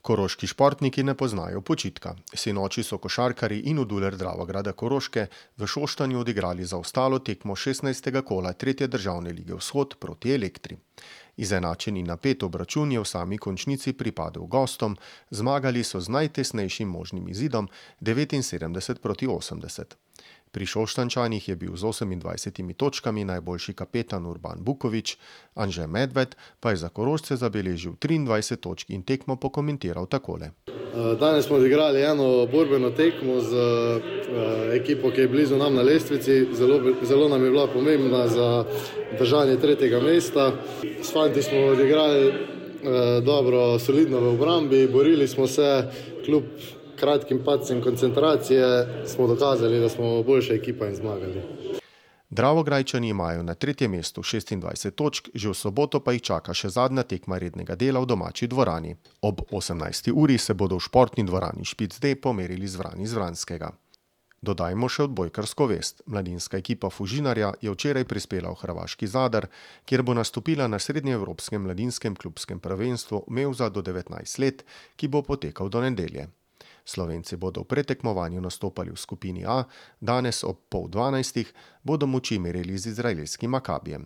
Koroški športniki ne poznajo počitka. Sinoči so košarkarji Inuduler Dravograda Koroške v Šoštanju odigrali zaostalo tekmo 16. kola 3. državne lige Vzhod proti Elektri. Izenačen in napet obračun je v sami končnici pripadel gostom, zmagali so z najtesnejšim možnim izidom 79-80. Pri Šoštančanih je bil z 28 točkami najboljši kapetan Urban Bukovič, Anže Medved pa je za Korošce zabeležil 23 točk in tekmo pokomentiral takole. Danes smo odigrali eno borbeno tekmo z ekipo, ki je blizu nam na lestvici. Zelo nam je bila pomembna za držanje 3. mesta. S fanti smo odigrali dobro, solidno v obrambi, borili smo se, kljub kratkim padcem koncentracije smo dokazali, da smo boljša ekipa in zmagali. Dravograjčani imajo na 3. mestu 26 točk, že v soboto pa jih čaka še zadnja tekma rednega dela v domači dvorani. Ob 18. uri se bodo v športni dvorani Špic D pomerili z Vrani iz Vranskega. Dodajmo še odbojkarsko vest. Mladinska ekipa Fužinarja je včeraj prispela v hrvaški Zadar, kjer bo nastopila na srednjeevropskem mladinskem klubskem prvenstvu Mevza do 19 let, ki bo potekal do nedelje. Slovenci bodo v pretekmovanju nastopali v skupini A, danes ob 11:30 bodo moči merili z izraelskim Makabijem.